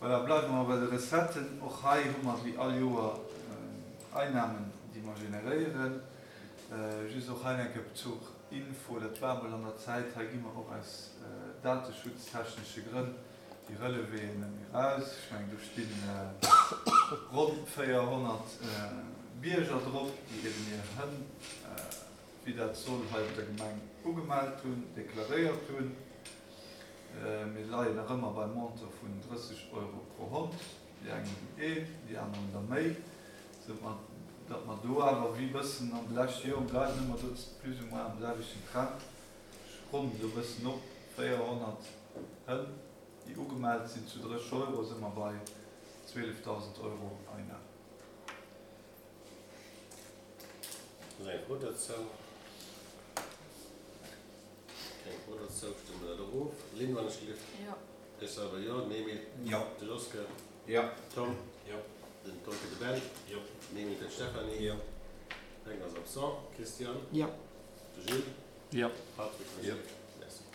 Voilà, bleiwe mer bei de Recetten. Och hei hu mer wéi all Joer Einnahmen, déi mer generéieren. Just och hei eng Kéier zur Info, dat war emol an der Zäit, hei gi mer och aus dateschutztechnesche Grënn déi Relevéen net méi eraus. Ech mengen, do sti ronn 400 Bierger drop, déi eben hir Hënn, wéi dat soll, hei op der Gemeng ugemellt hunn, deklaréiert hunn. Mir leien nach ëmmer beim Montant vun 30 Euro pro Hond. Déi eng hunn een, déi aner hunn der méi. Sou datt mer do awer wéi bëssen an de leschte Joren bleiwen ëmmer do plus ou moins am selwechten Trend. Ech ronnen elo e bëssen op, 400 Hënn, déi ugemellt sinn, zu 30 Euro si mer bei 12.000 Euro Einnahmen. Ass eng Fro dozou? Keng Fro dozou, stëmme mer dat och of. Lynn, wann ech gelift? Jo. Ech selwer jo. D'Memy? Jo. De Joske? Jo. Tom? Jo. Den Tom fir de Ben? Jo. D'Memy fir d'Stéphanie? Jo. Fränk ass absent. Christian? Jo. De Gilles? Jo. Patrick? Jo. Merci.